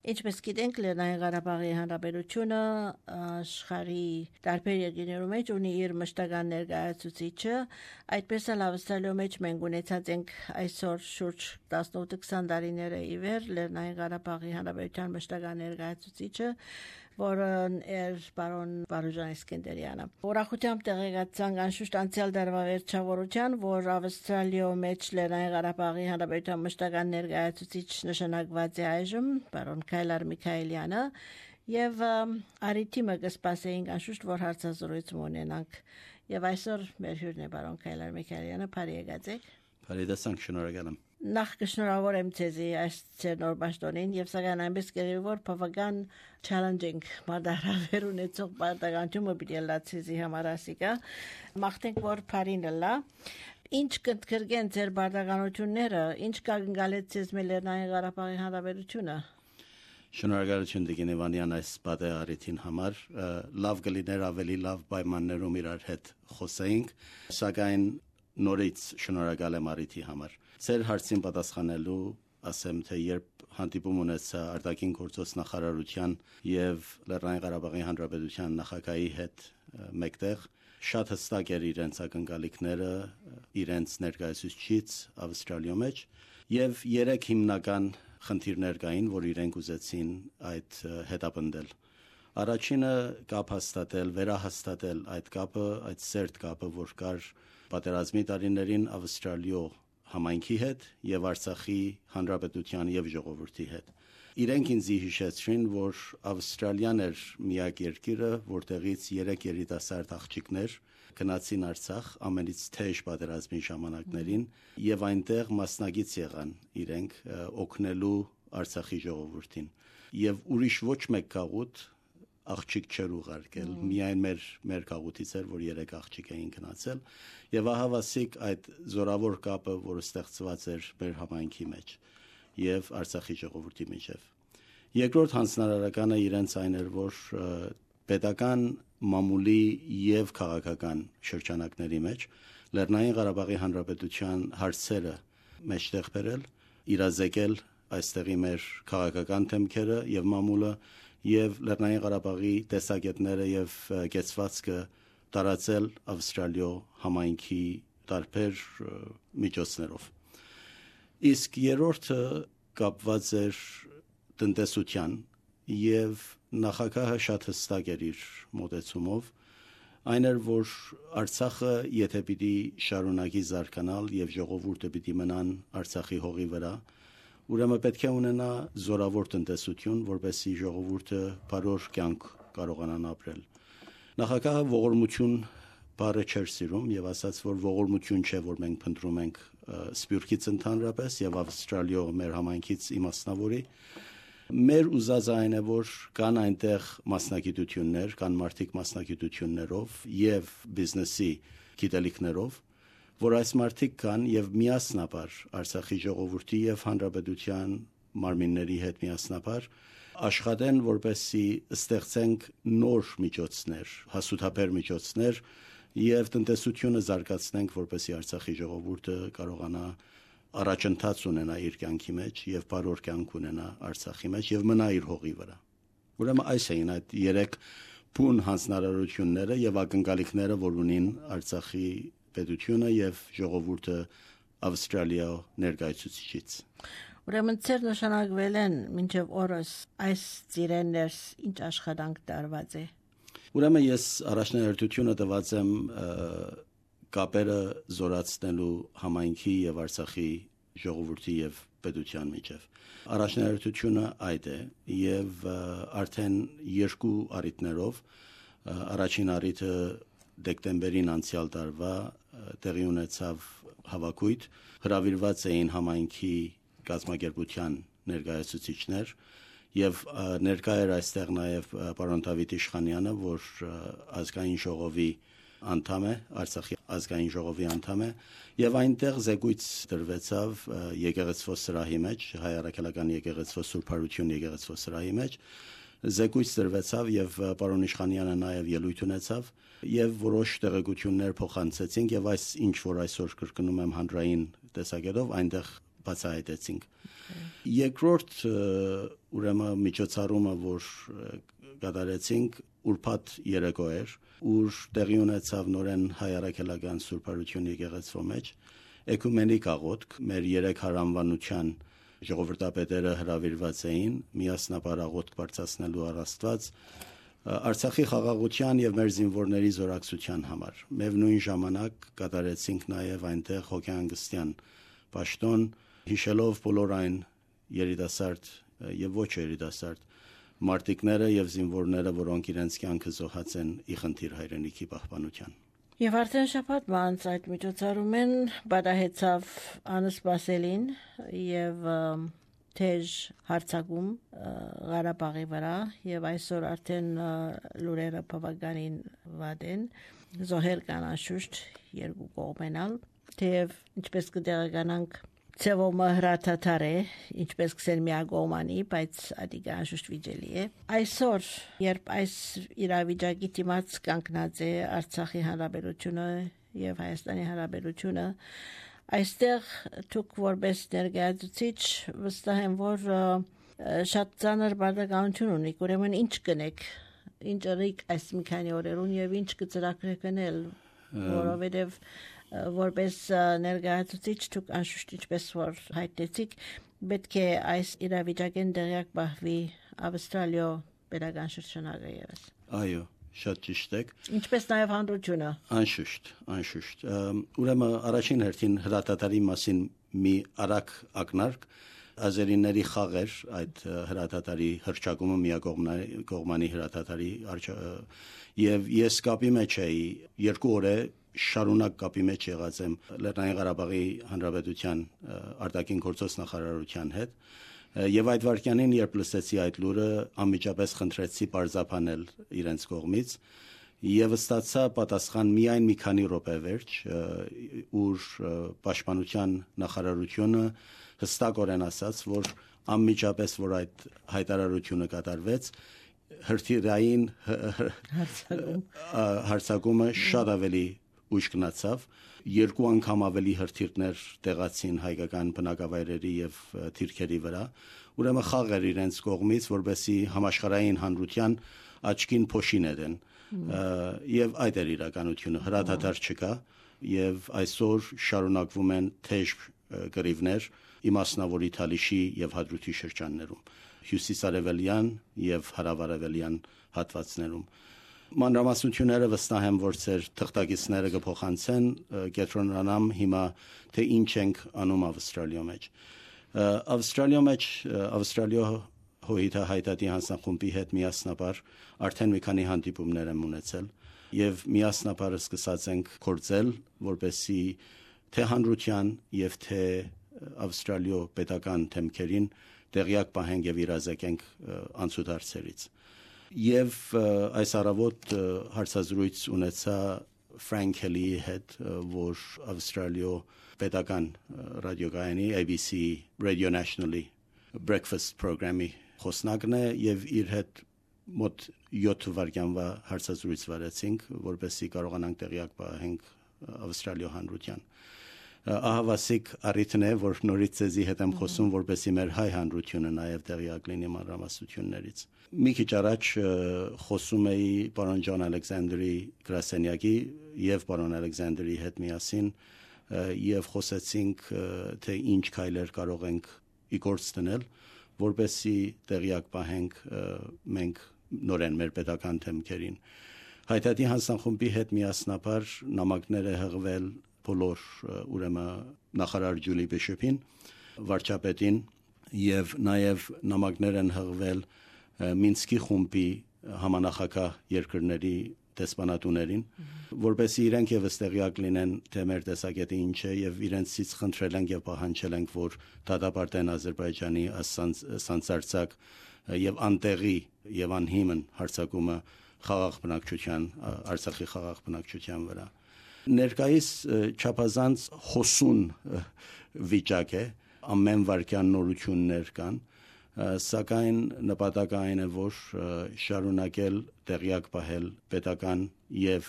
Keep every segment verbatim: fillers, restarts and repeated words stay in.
Ինչպես գիտենք, Լեռնային Ղարաբաղի Հանրապետությունը աշխարհի տարբեր երկրներում մեջ ունի իր մշտական ներկայացուցիչը, այդպես էլ Ավստրալիայում մեջ մենք ունեցած ենք այսօր շուրջ տասնութ քսան տարիները ի վեր Լեռնային Ղարաբաղի Հանրապետության մշտական ներկայացուցիչը, որն էր պարոն Վարուժան Իսկենդերյանը։ Ուրախությամբ տեղեկացանք անշուշտ անցյալ դարվա վերջավորության, որ Ավստրալիայում մեջ Լեռնային Ղարաբաղի Հանրապետության մշտական ներկայացուցիչ նշանակված է այժմ պարոն Քայլար Միքայելյանը եւ արիթիմը կսպասեինք անշուշտ որ հարցազրույց ունենանք եւ այսօր մեր հյուրն է պարոն Քայլար Միքայելյանը, բարի եկած եք։ Բարի դասանք, շնորհակալ եմ։ Նախ կշնորհավորեմ ձեզի այս նոր պաշտոնին եւ սակայն այնպես կերևի որ բավական challenging մարտահրավեր ունեցող պարտականությունը պիտի լա ձեզի համար ասիկա մաղթենք որ բարին լա ինչ կընդգրկեն ձեր պարտականությունները ինչ կանգնալեց ձեզ Լեռնային Ղարաբաղի Հանրապետությունը։ Շնորհակալություն Տիկին Իվանյան այս պատեհարիթին համար լավ կլիներ ավելի լավ պայմաններում իրար հետ խոսեինք սակայն նորից շնորհակալ եմ արիթի համար։ Ձեր հարցին պատասխանելու ասեմ թե երբ հանդիպում ունեցա արտաքին գործոս նախարարության եւ Լեռնային Ղարաբաղի Հանրապետության նախագահի հետ մեկտեղ շատ հստակ էր իրենց ակնկալիքները իրենց ներկայացուցիչից Ավստրալիայում մեջ եւ երեք հիմնական խնդիրներ կային, որ իրենք ուզեցին այդ հետապնդել։ Առաջինը կապ հաստատել, վերահաստատել այդ կապը, այդ սերտ կապը, որ կար պատերազմի տարիներին Ավստրալիո համայնքի հետ եւ Արցախի հանրապետության եւ ժողովրդի հետ։ Իրենք ինձ հիշեցրին, որ Ավստրալիան էր միակ երկիրը, որտեղից երեք երիտասարդ աղջիկներ գնացին Արցախ ամենից թեժ պատերազմի ժամանակներին եւ այնտեղ մասնագիծ եղան իրենք օգնելու Արցախի ժողովրդին եւ ուրիշ ոչ մեկ գաղութ աղջիկ չեր ուղարկել, միայն մեր մեր գաղութից էր, որ երեք աղջիկ էին գնացել եւ ահավասիկ այդ զորավոր կապը, որը ստեղծված էր մեր համայնքի մեջ եւ Արցախի ժողովրդի միջեւ։ Երկրորդ հանձնարարականը իրենց այն էր, որ պետական մամուլի եւ քաղաքական շրջանակների մեջ Լեռնային Ղարաբաղի Հանրապետության հարցերը մեջտեղ բերել, իրազեկել այստեղի մեր քաղաքական թեմքերը եւ մամուլը եւ Լեռնային Ղարաբաղի տեսակետները եւ կեցվածքը տարածել Ավստրալիո համայնքի տարբեր միջոցներով։ Իսկ երրորդը կապված էր տնտեսության եւ նախագահը շատ հստակ էր իր մոտեցումով այն էր որ Արցախը եթե պիտի շարունակի զարգանալ եւ ժողովուրդը պիտի մնան Արցախի հողի վրա ուրեմն պետք է ունենա զորավոր տնտեսություն, որպեսզի ժողովուրդը բարոր կյանք կարողանան ապրել։ Նախագահը ողորմություն բառը չէր սիրում եւ ասաց, որ ողորմություն չէ, որ մենք փնտրում ենք սփյուռքից ընդհանրապես եւ Ավստրալիո մեր համայնքից իմաստնավորի։ Մեր ուզածը այն է, որ կան այնտեղ մասնագիտություններ, կան մարդիկ մասնագիտություններով եւ բիզնեսի գիտելիքներով որ այս մարդիկ կան եւ միասնաբար Արցախի ժողովրդի եւ հանրապետության մարմինների հետ միասնաբար աշխատեն որպեսզի ստեղծենք նոր միջոցներ, հասութաբեր միջոցներ եւ տնտեսությունը զարգացնենք որպեսզի Արցախի ժողովուրդը կարողանա առաջընթաց ունենա իր կյանքի մեջ եւ բարոր կյանք ունենա Արցախի մեջ եւ մնա իր հողի վրա։ Ուրեմն այս էին այդ երեք բուն հանձնարարությունները եւ ակնկալիքները, որ ունին Արցախի պետությունը եւ ժողովուրդը Ավստրալիա ներկայացուցիչից։ Ուրեմն ծեր նշանակվել են մինչև օրս այս ծիրեններ ինչ աշխատանք տարված է։ Ուրեմն ես առաջնահերթությունը տված եմ կապերը զորացնելու համայնքի եւ Արցախի ժողովրդի եւ պետության միջեւ։ Առաջնահերթությունը այդ է եւ արդեն երկու առիթներով առաջին առիթը դեկտեմբերին անցյալ տարվա տեղի ունեցավ հավաքույթ, հրավիրված էին համայնքի գազམ་ագերբության ներկայացուցիչներ եւ ներկա էր այստեղ նաեւ պարոն Դավիթ Իշխանյանը, որ ազգային ժողովի անդամ է, Արցախի ազգային ժողովի անդամ է եւ այնտեղ զեկույց դրվեցավ եկեղեցվո սրահի մեջ, հայ առաքելական եկեղեցվո Սուրբ Հարություն եկեղեցվո սրահի մեջ զեկույց դրվեցավ եւ պարոն Իշխանյանը նաեւ ելույթ ունեցավ եւ որոշ տեղեկություններ փոխանցեցինք եւ այս ինչ որ այսօր կրկնում եմ հանրային տեսակետով այնտեղ բացահայտեցինք։ Երկրորդ ուրեմն միջոցառումը, որ կատարեցինք, ուրբաթ երեկո էր, ուր տեղի ունեցավ նորեն հայ առաքելական Սուրբ Արություն եկեղեցու մեջ էկումենիկ աղոթք, մեր երեք հարանվանության ժողովրդապետերը հրավիրված էին միասնապար աղոթք բարձրացնելու առ Աստված Արցախի խաղաղության եւ մեր զինվորների զորակցության համար։ Միևնույն ժամանակ կատարեցինք նաեւ այնտեղ հոգեհանգստյան պաշտոն, հիշելով բոլոր այն երիտասարդ եւ ոչ երիտասարդ մարտիկները եւ զինվորները, որոնք իրենց կյանքը զոհած են ի խնդիր հայրենիքի պահպանության։ Եվ արդեն շաբաթ մանց այդ միջոցառումեն բադահեցավ անսպասելին եւ թեժ հարցակում Ղարաբաղի վրա եւ այսօր արդեն լուրերը բավականին վատ են, զոհեր կան անշուշտ երկու կողմենալ, թեև ինչպես կտեղեկանանք Ցևոմը հրաթաթար է, ինչպես կսել միագողմանի, բայց ադիգա անշուշտ վիճելի է։ Այսօր, երբ այս իրավիճակի դիմաց կանգնած է Արցախի հանրապետությունը եւ Հայաստանի հանրապետությունը, այստեղ դուք որպես ներկայացուցիչ վստահ եմ, որ շատ ծանր բարդականություն ունիք, ուրեմն ինչ կնեք, ինչ ըրիք այս մի քանի օրերուն եւ ինչ կծրագրեք անել, որովհետեւ որպես ներկայացուցիչ դուք անշուշտ ինչպես որ հայտնեցիք, պետք է այս իրավիճակեն դերյակ բահվի Ավստրալիո պետական շրջանակը եւս։ Այո, շատ ճիշտ եք։ Ինչպես նաեւ հանրությունը։ Անշուշտ, անշուշտ։ Ուրեմն առաջին հերթին հրատատարի մասին մի արագ ակնարկ ազերիների խաղեր այդ հրատատարի հրճակումը միակողմանի հրատատարի եւ ես կապի մեջ էի երկու օր է շարունակ կապի մեջ եղած եմ Լեռնային Ղարաբաղի Հանրապետության արտաքին գործոս նախարարության հետ եւ այդ վարքյանին երբ լսեցի այդ լուրը անմիջապես խնդրեցի պարզաբանել իրենց կողմից եւ ստացա պատասխան միայն մի քանի րոպե վերջ ուր պաշտպանության նախարարությունը հստակորեն ասաց որ անմիջապես որ այդ հայտարարությունը կատարվեց հրթիռային հարձակումը շատ ավելի ուշ գնացավ երկու անգամ ավելի հրթիռներ տեղացին հայկական բնակավայրերի եւ թիրքերի վրա ուրեմն խաղեր իրենց կողմից որբեսի համաշխարհային հանրության աչքին փոշին edեն եւ այդ էր իրականությունը հրադադար չկա եւ այսօր շարունակվում են թեժ գրիվներ իմասնավորի Թալիշի եւ Հադրութի շրջաններում հյուսիսարևելյան եւ հարավարևելյան հատվածներում մանրամասնությունները վստահ եմ որ ծեր թղթակիցները կփոխանցեն կենտրոնանամ հիմա թե ինչ ենք անում Ավստրալիա մեջ Ավստրալիա մեջ Ավստրալիա հոհիտա հայտարարի հանձնախումբի հետ միասնաբար արդեն մի քանի հանդիպումներ եմ ունեցել եւ միասնաբար սկսած ենք գործել որպեսի թե հանրության եւ թե Ավստրալիա պետական թեմքերին տեղյակ պահենք եւ իրազեկենք անցուդարձերից եւ այս առավոտ հարցազրույց ունեցա Frank Kelly-ի հետ որ Ավստրալիա պետական ռադիոգայանի A B C Radio Nationally breakfast program-ի խոսնակն է եւ իր հետ մոտ յոթ վայրկյանվա հարցազրույց վարեցինք որպեսզի կարողանանք տեղյակ պահենք Ավստրալիա հանրության ահավասիկ առիթն է որ նորից ցեզի հետ եմ խոսում որպեսզի մեր հայ հանրությունը նաև տեղյակ լինի մանրամասնություններից մի քիչ առաջ խոսում էի պարոն Ջոն Ալեքսանդրի գրասենյակի եւ պարոն Ալեքսանդրի հետ միասին եւ խոսեցինք թե ինչ քայլեր կարող ենք իգործ դնել որպեսզի տեղյակ պահենք մենք նորեն մեր պետական թեմքերին հայտարարի հանձնախումբի հետ միասնաբար նամակներ է հղվել բոլոր ուրեմն նախարար Ջուլի Բիշոփին վարչապետին եւ նաեւ նամակներ են հղվել Մինսկի խումբի համանախագահ երկրների դեսպանատուներին որպեսզի իրենք եւս տեղյակ լինեն թե մեր տեսակետը ինչ է եւ իրենցից խնդրել ենք եւ պահանջել ենք որ դատապարտեն Ադրբեջանի սանձարցակ եւ անտեղի եւ անհիմն հարձակումը խաղաղ բնակչության Արցախի խաղաղ բնակչության վրա ներկայիս չափազանց հոսուն վիճակ է ամեն վարքյան նորություններ կան սակայն նպատակը այն է որ շարունակել տեղյակ պահել պետական եւ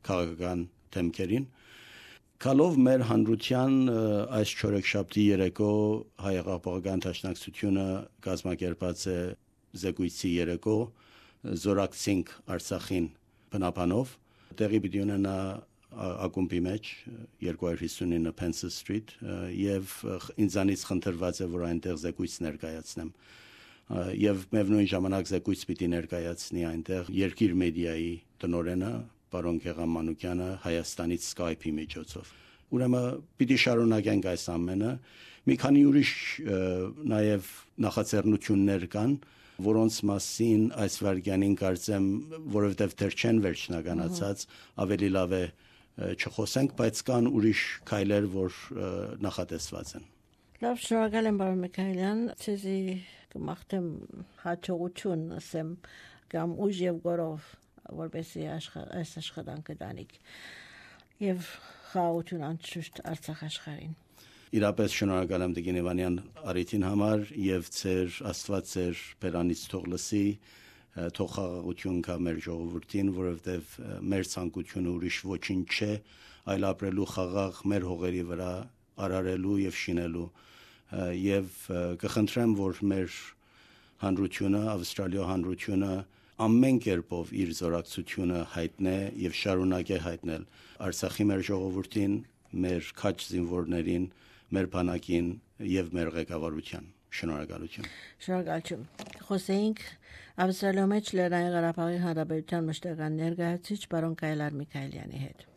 քաղաքական թեմքերին Կալով մեր հանրության այս չորեքշաբթի երեկո հայ-աղապաղական դաշնակցությունը կազմակերպած է զեկույցի երեկո զորակցինք Արցախին բնապանով տեղի պիտի ունենա ակումբի մեջ երկու հիսուն ինը Pence Street եւ ինձանից խնդրված է որ այնտեղ զեկույց ներկայացնեմ եւ միևնույն ժամանակ զեկույց պիտի ներկայացնի այնտեղ Երկիր մեդիայի տնօրենը պարոն Գեգամ Մանուկյանը Հայաստանից Skype-ի միջոցով։ Ուրեմն պիտի շարունակենք այս ամենը։ Մի քանի ուրիշ նաև նախաձեռնություններ կան, որոնց մասին այս վարքյանին կարծեմ, որովհետև դեռ չեն վերջնականացած, ավելի լավ է չխոսենք, բայց կան ուրիշ քայլեր, որ նախատեսված են։ Լավ, շնորհակալ եմ պարոն Միքայելյան, ցեզի կմաղթեմ հաջողություն, ասեմ, կամ ուժ եւ գորով որպեսզի այս աշխատանքը դանիք եւ խաղաղություն անշուշտ Արցախ աշխարհին։ Իրապես շնորհակալ եմ Տիկին Իվանյան առիթին համար եւ ձեր Աստված ձեր բերանից թող լսի, թող խաղաղություն կա մեր ժողովրդին, որովհետեւ մեր ցանկությունը ուրիշ ոչինչ չէ, այլ ապրելու խաղաղ մեր հողերի վրա, արարելու եւ շինելու եւ կխնդրեմ, որ մեր հանրությունը, Ավստրալիա հանրությունը ամեն կերպով իր զորակցությունը հայտնե եւ շարունակե հայտնել Արցախի մեր ժողովրդին, մեր քաջ զինվորներին, մեր բանակին եւ մեր ղեկավարության։ Շնորհակալություն։ Շնորհակալություն։ Խոսեինք Ավստրալիա մեջ Լեռնային Ղարաբաղի Հանրապետության մշտական ներկայացուցիչ պարոն Կայլար Միքայելյանի հետ։